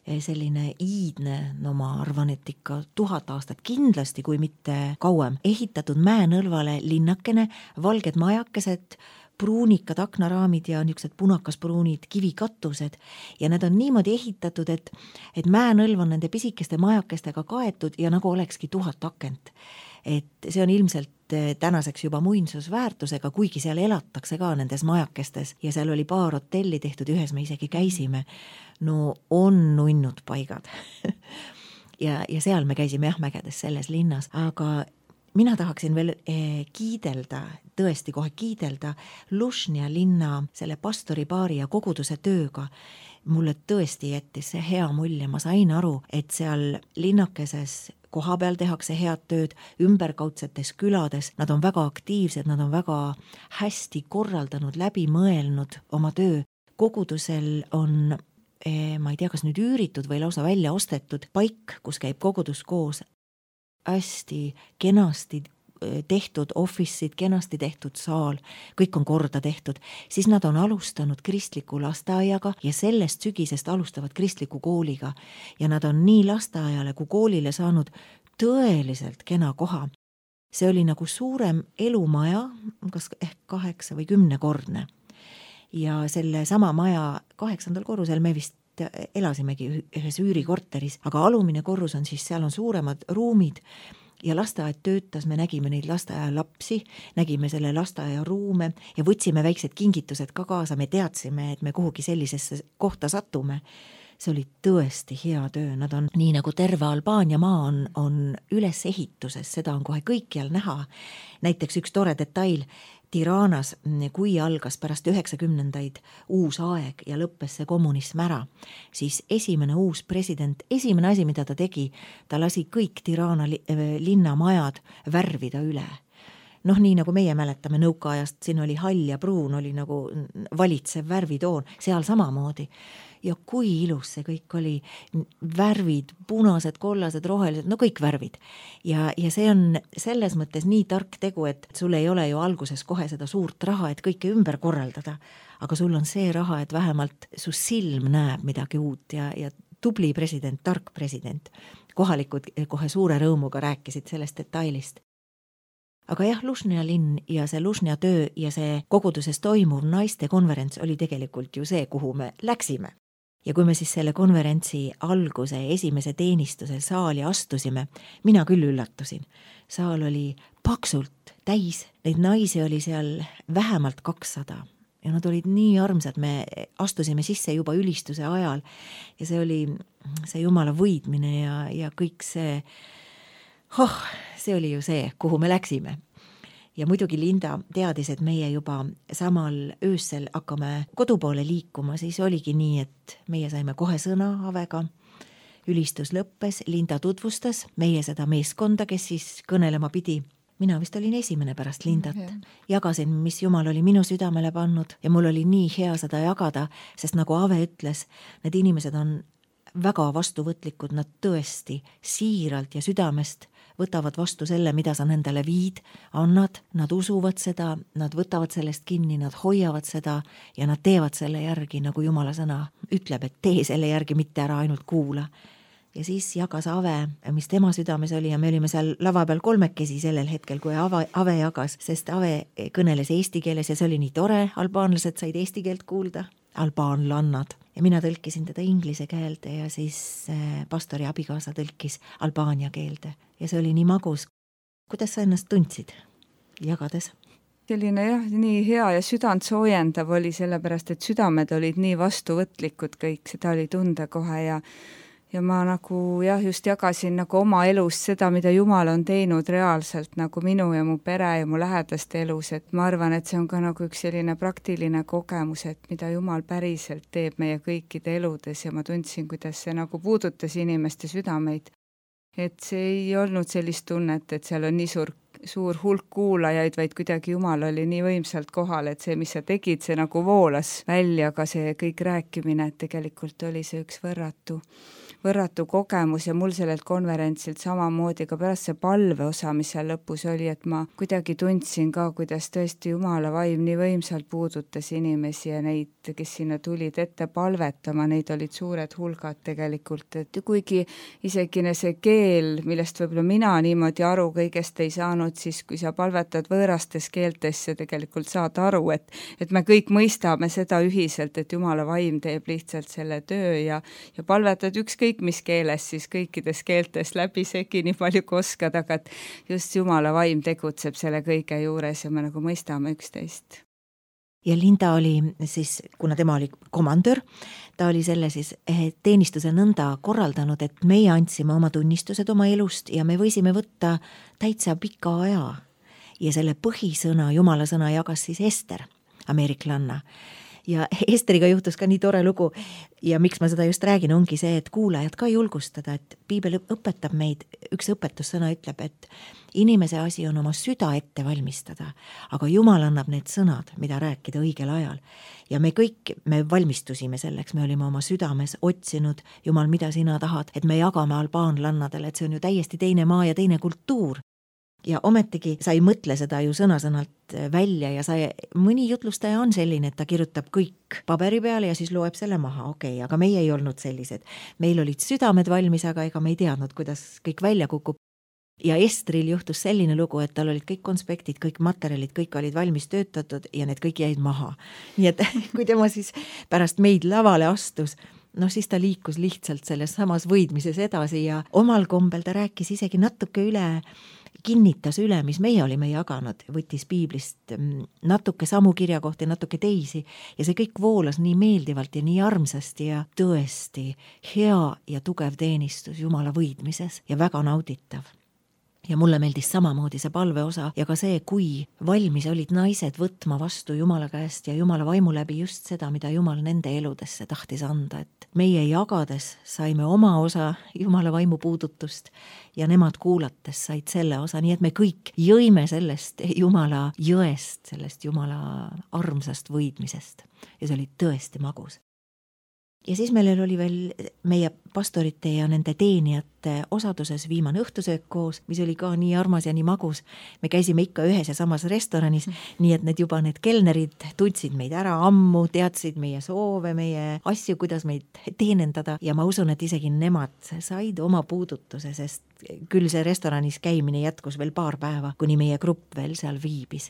selline iidne, no ma arvan, et ikka 1000 aastat kindlasti, kui mitte kauem, ehitatud mäenõlvale linnakene, valged majakesed, pruunikad aknaraamid ja niisugused punakaspruunid kivikattused ja need on niimoodi ehitatud, et mäenõlv on nende pisikeste majakestega kaetud ja nagu olekski 1000 akent. Et see on ilmselt tänaseks juba muinsusväärtusega, kuigi seal elatakse ka nendes majakestes ja seal oli paar hotelli tehtud, ühes me isegi käisime. No on nunnud paigad ja seal me käisime jah mägedes selles linnas, aga mina tahaksin veel kiidelda, tõesti kohe kiidelda Lužnja linna selle pastoripaari ja koguduse tööga. Mulle tõesti jättis see hea mulje, ma sain aru, et seal linnakeses koha peal tehakse head tööd, ümberkaudsetes külades, nad on väga aktiivsed, nad on väga hästi korraldanud, läbi mõelnud oma töö. Kogudusel on, ma ei tea, kas nüüd üüritud või lausa välja ostetud paik, kus käib kogudus koos, hästi kenasti tehtud office'id, kenasti tehtud saal, kõik on korda tehtud, siis nad on alustanud kristliku lasteaiaga ja sellest sügisest alustavad kristliku kooliga ja nad on nii lasteaiale kui koolile saanud tõeliselt kena koha. See oli nagu suurem elumaja, kas ehk 8 või 10-kordne ja selle sama maja 8. korrusel me vist elasimegi ühes üürikorteris, aga alumine korrus on siis, seal on suuremad ruumid ja lasteaed töötas, me nägime neid lasteaia lapsi, nägime selle lasteaia ruume ja võtsime väiksed kingitused ka kaasa, me teadsime, et me kuhugi sellisesse kohta satume. See oli tõesti hea töö, nad on nii nagu terve Albaania maa on ülesehituses, seda on kohe kõikjal näha. Näiteks üks tore detail, Tiranas, kui algas pärast 90-ndaid uus aeg ja lõppes see kommunism ära, siis esimene uus president, esimene asi, mida ta tegi, ta lasi kõik Tirana linnamajad värvida üle. Noh, nii nagu meie mäletame nõukaajast, siin oli hall ja pruun, oli nagu valitsev värvitoon, seal samamoodi. Ja kui ilus see kõik oli, värvid, punased, kollased, rohelised, no kõik värvid. Ja see on selles mõttes nii tark tegu, et sul ei ole ju alguses kohe seda suurt raha, et kõike ümber korraldada, aga sul on see raha, et vähemalt su silm näeb midagi uut ja tubli president, tark president. Kohalikud kohe suure rõõmuga rääkisid sellest detailist. Aga jah, Lužnja linn ja see Lužnja töö ja see koguduses toimuv naiste konverents oli tegelikult ju see, kuhu me läksime. Ja kui me siis selle konverentsi alguse esimese teenistuse saali astusime, mina küll üllatusin. Saal oli paksult täis, neid naisi oli seal vähemalt 200 ja nad olid nii armsad, me astusime sisse juba ülistuse ajal ja see oli see Jumala võidmine ja kõik see, see oli ju see, kuhu me läksime. Ja muidugi Linda teadis, et meie juba samal öössel hakkame kodupoole liikuma, siis oligi nii, et meie saime kohe sõna Avega. Ülistus lõppes, Linda tutvustas meie seda meeskonda, kes siis kõnelema pidi. Mina vist olin esimene pärast Lindat. Jagasin, mis Jumal oli minu südamele pannud ja mul oli nii hea seda jagada, sest nagu Ave ütles, need inimesed on väga vastuvõtlikud, nad tõesti siiralt ja südamest võtavad vastu selle, mida sa nendele viid, annad, nad usuvad seda, nad võtavad sellest kinni, nad hoiavad seda ja nad teevad selle järgi, nagu Jumala sõna ütleb, et tee selle järgi, mitte ära ainult kuula. Ja siis jagas Ave, mis tema südames oli ja me olime seal lava peal kolmekesi sellel hetkel, kui Ave jagas, sest Ave kõneles eesti keeles ja see oli nii tore, albaanlased said eesti keelt kuulda, albaanlannad. Ja mina tõlkisin teda inglise keelde ja siis pastori abikaasa tõlkis albaania keelde. Ja see oli nii magus. Kuidas sa ennast tundsid jagades? Selline jah, nii hea ja südant soojendav oli sellepärast, et südamed olid nii vastuvõtlikud kõik, seda oli tunda kohe ja ma nagu jah, just jagasin nagu oma elust seda, mida Jumal on teinud reaalselt nagu minu ja mu pere ja mu lähedaste elus, et ma arvan, et see on ka nagu üks selline praktiline kogemus, et mida Jumal päriselt teeb meie kõikide eludes ja ma tundsin, kuidas see nagu puudutas inimeste südameid. Et see ei olnud sellist tunnet, et seal on nii suur hulk kuulajaid, vaid kuidagi Jumal oli nii võimsalt kohal, et see, mis sa tegid, see nagu voolas välja, aga see kõik rääkimine, et tegelikult oli see üks võrratu kogemus ja mul sellelt konverentsilt samamoodi ka pärast see palve osa, mis seal lõpus oli, et ma kuidagi tundsin ka, kuidas tõesti Jumala vaim nii võimsalt puudutas inimesi ja neid, kes sinna tulid ette palvetama, neid olid suured hulgad tegelikult, et kuigi isegi see keel, millest võib-olla mina niimoodi aru kõigest ei saanud õppinud siis, kui sa palvetad võõrastes keeltes ja tegelikult saad aru, et me kõik mõistame seda ühiselt, et Jumala vaim teeb lihtsalt selle töö ja palvetad ükskõik mis keeles, siis kõikides keeltes läbisegi nii palju kui oskad, aga et just Jumala vaim tegutseb selle kõige juures ja me nagu mõistame üksteist. Ja Linda oli siis, kuna tema oli komandör, ta oli selle siis teenistuse nõnda korraldanud, et meie andsime oma tunnistused oma elust ja me võisime võtta täitsa pika aja. Ja selle põhisõna, Jumala sõna jagas siis Ester, ameeriklanna. Ja Esteriga juhtus ka nii tore lugu ja miks ma seda just räägin, ongi see, et kuulajad ka julgustada, et piibel õpetab meid, üks õpetussõna ütleb, et inimese asi on oma süda ette valmistada, aga Jumal annab need sõnad, mida rääkida õigel ajal. Ja me kõik, me valmistusime selleks, me olime oma südames otsinud, Jumal, mida sina tahad, et me jagame albaanlannadele, et see on ju täiesti teine maa ja teine kultuur. Ja ometigi sa ei mõtle seda ju sõna-sõnalt välja ja mõni jutlustaja on selline, et ta kirjutab kõik paberi peale ja siis loeb selle maha, okei, aga meie ei olnud sellised. Meil olid südamed valmis, aga ega me ei teadnud, kuidas kõik välja kukub. Ja Estril juhtus selline lugu, et tal olid kõik konspektid, kõik materjalid, kõik olid valmis töötatud ja need kõik jäid maha. Nii et kui tema siis pärast meid lavale astus, siis ta liikus lihtsalt selles samas võidmises edasi ja omal kombel ta rääkis isegi natuke üle, kinnitas üle, mis meie olime jaganud, võttis piiblist natuke samu kirjakohti, natuke teisi ja see kõik voolas nii meeldivalt ja nii armsasti ja tõesti hea ja tugev teenistus Jumala võidmises ja väga nauditav. Ja mulle meeldis samamoodi see palveosa ja ka see, kui valmis olid naised võtma vastu Jumala käest ja Jumala vaimu läbi just seda, mida Jumal nende eludesse tahtis anda, et meie jagades saime oma osa Jumala vaimu puudutust ja nemad kuulates said selle osa, nii et me kõik jõime sellest Jumala jõest, sellest Jumala armsast võidmisest ja see oli tõesti magus. Ja siis meil oli veel meie pastorite ja nende teenijate osaduses viimane õhtusöök koos, mis oli ka nii armas ja nii magus. Me käisime ikka ühes ja samas restoranis, nii et need kelnerid tundsid meid ära ammu, teadsid meie soove, meie asju, kuidas meid teenendada ja ma usun, et isegi nemad said oma puudutuse, sest küll see restoranis käimine jätkus veel paar päeva, kuni meie grupp veel seal viibis.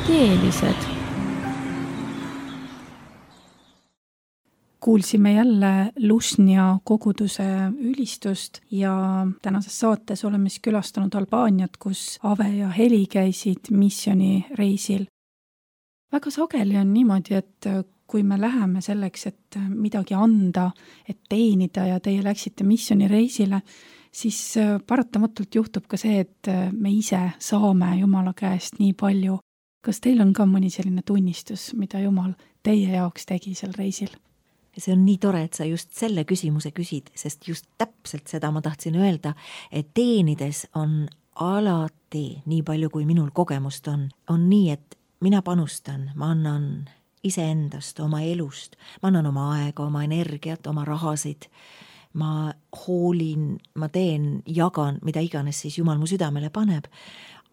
teelised. Kuulsime jälle Lušnja koguduse ülistust ja tänases saates oleme siis külastanud Albaaniat, kus Ave ja Heli käisid missioonireisil. Väga sageli on niimoodi, et kui me läheme selleks, et midagi anda, et teenida ja teie läksite missioonireisile, siis paratamatult juhtub ka see, et me ise saame Jumala käest nii palju. Kas teil on ka mõni selline tunnistus, mida Jumal teie jaoks tegi sel reisil? See on nii tore, et sa just selle küsimuse küsid, sest just täpselt seda ma tahtsin öelda, et teenides on alati nii palju, kui minul kogemust on. On nii, et mina panustan, ma annan iseendast, oma elust, ma annan oma aega, oma energiat, oma rahasid, ma hoolin, ma teen, jagan, mida iganes siis Jumal mu südamele paneb.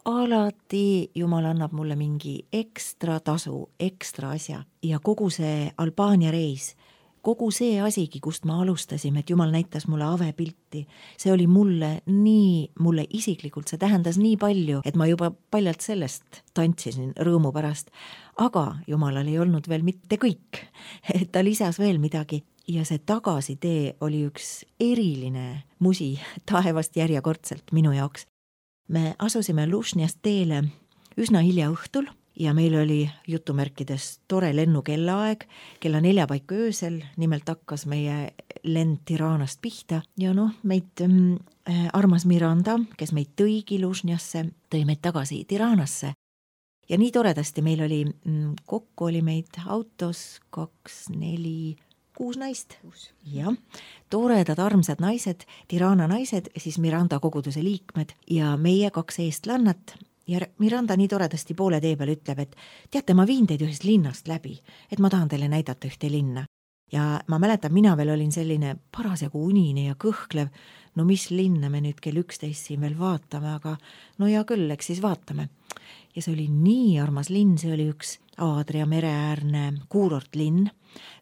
Alati Jumal annab mulle mingi ekstra tasu, ekstra asja ja kogu see Albaania reis, kogu see asigi, kust ma alustasime, et Jumal näitas mulle Ave pilti, see oli mulle isiklikult, see tähendas nii palju, et ma juba paljalt sellest tantsisin rõõmu pärast, aga Jumalal ei olnud veel mitte kõik, et ta lisas veel midagi ja see tagasitee oli üks eriline musi taevast järjekordselt minu jaoks. Me asusime Lušnjast teele üsna hilja õhtul ja meil oli jutumärkides tore lennukellaaeg, kella 4 paiku öösel, nimelt hakkas meie lend Tiranast pihta ja meid armas Miranda, kes meid tõigi Lušnjasse, tõi meid tagasi Tiranasse. Ja nii toredasti meil oli, kokku oli meid autos 2, 4, 6 naist. Ja toredad armsad naised, Tirana naised, siis Miranda koguduse liikmed ja meie 2 eestlannat. Ja Miranda nii toredasti poole tee peal ütleb, et teate, ma viin teid ühest linnast läbi, et ma tahan teile näidata ühte linna. Ja ma mäletan, mina veel olin selline parasjagu unine ja kõhklev, mis linna me nüüd kell 11 siin veel vaatame, aga ja küll, eks siis vaatame. Ja see oli nii armas linn, see oli üks Aadria mereäärne kuurortlinn.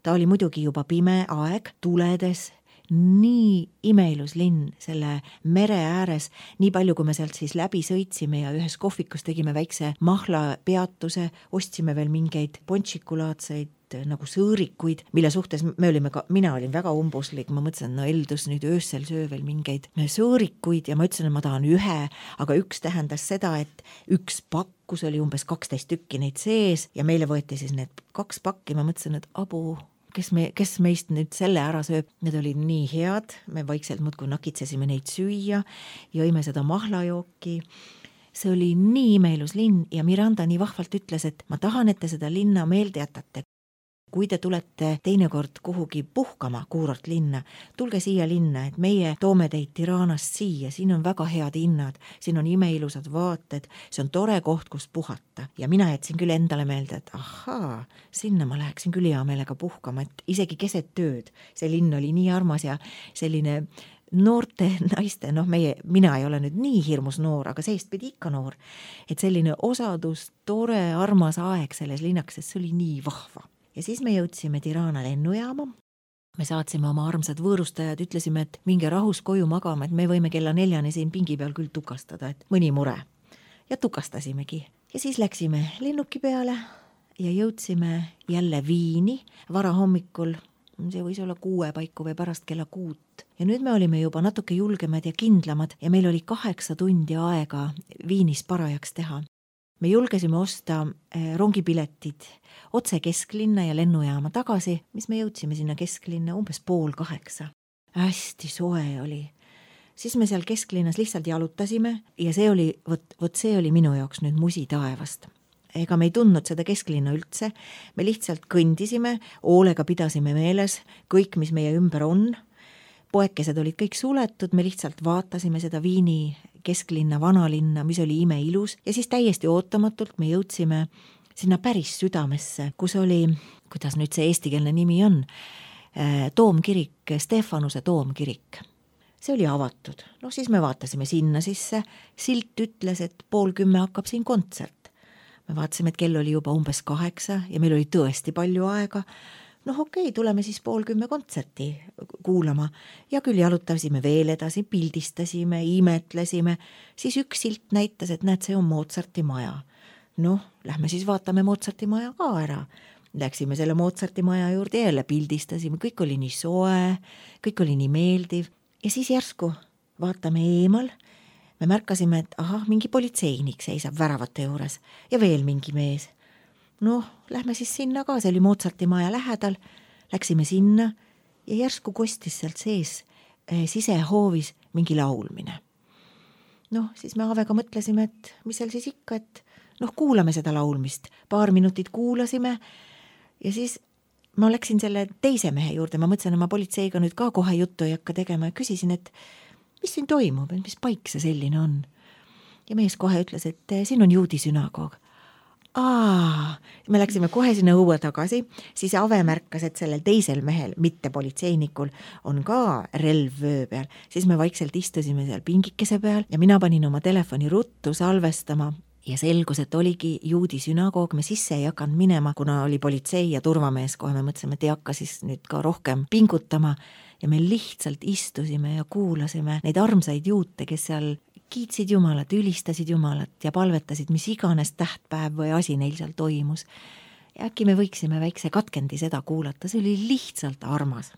Ta oli muidugi juba pime aeg, tuledes, nii imeilus linn selle mere ääres, nii palju kui me sealt siis läbi sõitsime ja ühes kohvikus tegime väikse mahla peatuse, ostsime veel mingeid ponšikulaadseid nagu sõõrikuid, mille suhtes mina olin väga umbuslik, ma mõtlesin, Eldus nüüd öösel söö veel mingeid sõõrikuid ja ma ütlesin, et ma tahan ühe, aga üks tähendas seda, et üks pakkus oli umbes 12 tükki neid sees ja meile võeti siis need 2 pakki, ma mõtlesin, et abu, kes meist nüüd selle ära sööb, need olid nii head, me vaikselt muudkui nakitsesime neid süüa, jõime seda mahlajooki. See oli nii imeilus linn ja Miranda nii vahvalt ütles, et ma tahan, et te seda linna meelde jätate. Kui te tulete teinekord kuhugi puhkama kuurort linna, tulge siia linna, et meie toome teid Tiranast siia, siin on väga head hinnad, siin on imeilusad vaated, see on tore koht, kus puhata. Ja mina jätsin küll endale meelde, et ahaa, sinna ma läheksin küll hea meelega puhkama, et isegi keset tööd. See linn oli nii armas ja selline noorte naiste, mina ei ole nüüd nii hirmus noor, aga seest pidi ikka noor, et selline osadus, tore, armas aeg selles linnaks, sest see oli nii vahva. Ja siis me jõudsime Tirana lennujaama, me saatsime oma armsad võõrustajad, ütlesime, et minge rahus koju magama, et me võime kella 4 siin pingi peal küll tukastada, et mõni mure. Ja tukastasimegi. Ja siis läksime lennuki peale ja jõudsime jälle Viini varahommikul, see võis olla 6 paiku või pärast kella 6. Ja nüüd me olime juba natuke julgemad ja kindlamad ja meil oli 8 tundi aega Viinis parajaks teha. Me julgesime osta rongipiletid otse kesklinna ja lennujaama tagasi, mis me jõudsime sinna kesklinna umbes 7:30. Hästi soe oli. Siis me seal kesklinnas lihtsalt jalutasime ja see oli minu jaoks nüüd musi taevast. Ega me ei tundnud seda kesklinna üldse, me lihtsalt kõndisime, hoolega pidasime meeles kõik, mis meie ümber on. Poekesed olid kõik suletud, me lihtsalt vaatasime seda Viini kesklinna, vanalinna, mis oli imeilus ja siis täiesti ootamatult me jõudsime sinna päris südamesse, kus oli, kuidas nüüd see eestikeelne nimi on, toomkirik, Stefanuse toomkirik. See oli avatud. Siis me vaatasime sinna sisse, silt ütles, et 9:30 hakkab siin kontsert. Me vaatasime, et kell oli juba umbes 8 ja meil oli tõesti palju aega. Okei, tuleme siis 9:30 kontserti kuulama ja küll jalutasime veel edasi, pildistasime, imetlesime, siis üks silt näitas, et näed, see on Mozarti maja. noh, lähme siis vaatame Mozarti maja ka ära. Läksime selle Mozarti maja juurde ja jälle pildistasime, kõik oli nii soe, kõik oli nii meeldiv ja siis järsku vaatame eemal, me märkasime, et mingi politseinik seisab väravate juures ja veel mingi mees. Noh, lähme siis sinna ka, see oli Mozarti maja lähedal, läksime sinna ja järsku kostis sealt sees sisehoovis mingi laulmine. Noh, siis me Avega mõtlesime, et mis seal siis ikka, et kuulame seda laulmist. Paar minutit kuulasime ja siis ma läksin selle teise mehe juurde, ma mõtlesin, et ma politseiga nüüd ka kohe juttu ei hakka tegema ja küsisin, et mis siin toimub, mis paik see selline on. Ja mees kohe ütles, et siin on juudi sünagoog. Me läksime kohe sinna õue tagasi, siis Ave märkas, et sellel teisel mehel, mitte politseinikul, on ka relv vöö peal. Siis me vaikselt istusime seal pingikese peal ja mina panin oma telefoni ruttu salvestama ja selgus, et oligi juudi sünagoog, me sisse ei hakanud minema, kuna oli politsei ja turvamees, kohe me mõtlesime, et ei hakka siis nüüd ka rohkem pingutama ja me lihtsalt istusime ja kuulasime neid armsaid juute, kes seal kiitsid Jumalat, ülistasid Jumalat ja palvetasid, mis iganes tähtpäev või asi neil seal toimus. Ja äkki me võiksime väikse katkendi seda kuulata, see oli lihtsalt armas.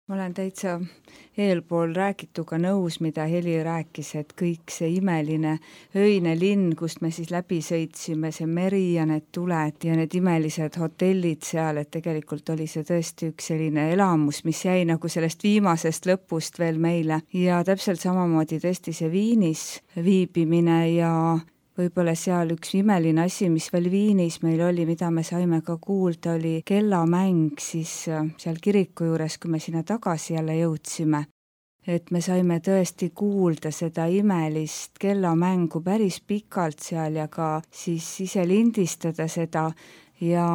Ma olen täitsa eelpool räägituga nõus, mida Heli rääkis, et kõik see imeline öine linn, kust me siis läbi sõitsime, see meri ja need tuled ja need imelised hotellid seal, et tegelikult oli see tõesti üks selline elamus, mis jäi nagu sellest viimasest lõpust veel meile. Ja täpselt samamoodi tõesti see Viinis viibimine ja võib-olla seal üks imeline asi, mis veel Viinis meil oli, mida me saime ka kuulda, oli kellamäng siis seal kiriku juures, kui me sinna tagasi jälle jõudsime. Et me saime tõesti kuulda seda imelist kellamängu päris pikalt seal ja ka siis ise lindistada seda ja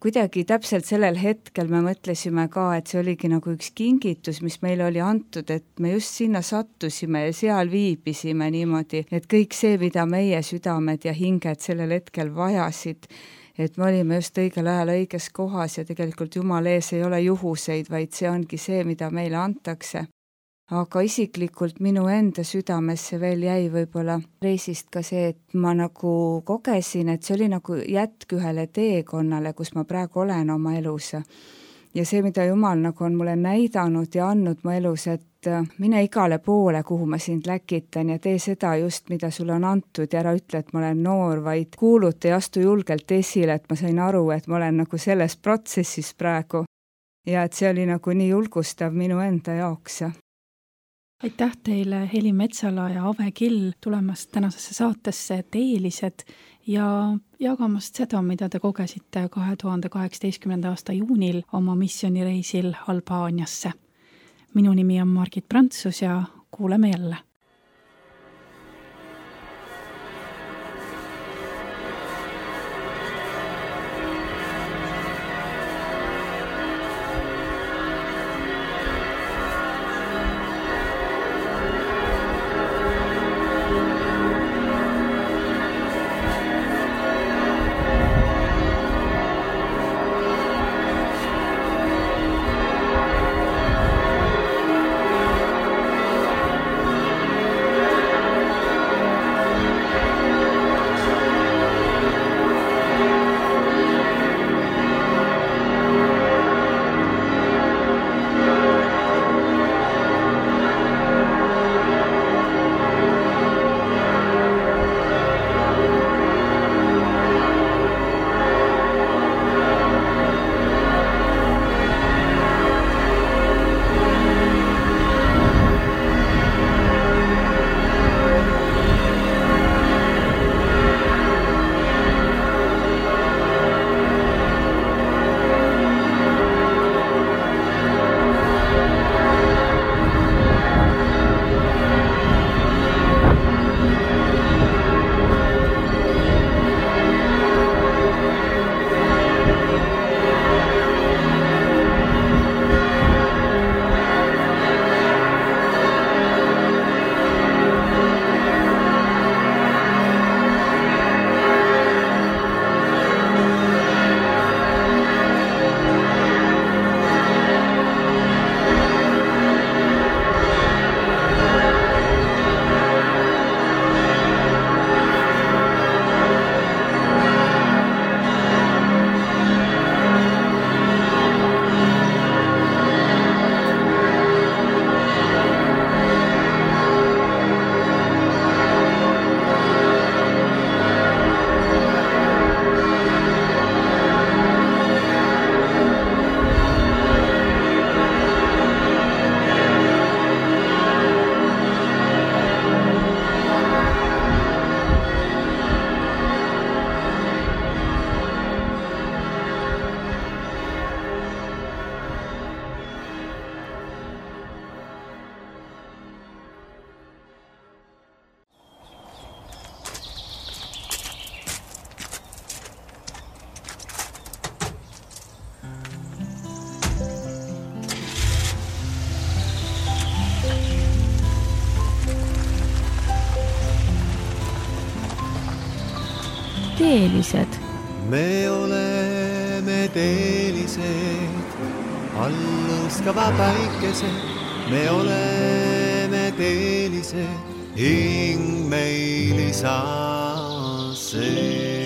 kuidagi täpselt sellel hetkel me mõtlesime ka, et see oligi nagu üks kingitus, mis meile oli antud, et me just sinna sattusime ja seal viibisime niimoodi, et kõik see, mida meie südamed ja hinged sellel hetkel vajasid, et me olime just õigel ajal õiges kohas ja tegelikult Jumal ees ei ole juhuseid, vaid see ongi see, mida meile antakse. Aga isiklikult minu enda südamesse veel jäi võib-olla reisist ka see, et ma nagu kogesin, et see oli nagu jätk ühele teekonnale, kus ma praegu olen oma elus. ja see, mida Jumal nagu on mulle näidanud ja andnud mu elus, et mine igale poole, kuhu ma sind läkitan ja tee seda just, mida sulle on antud ja ära ütle, et ma olen noor, vaid kuuluta ja astu julgelt esile, et ma sain aru, et ma olen nagu selles protsessis praegu ja et see oli nagu nii julgustav minu enda jaoks. Aitäh teile, Heli Metsala ja Ave Kill, tulemast tänasesse saatesse Teelised ja jagamast seda, mida te kogesite 2018. aasta juunil oma missioonireisil Albaaniasse. Minu nimi on Margit Prantsus ja kuuleme jälle. Teelised. Me oleme teelised, alluskava päikesed. Me oleme teelised, hing meil isa see.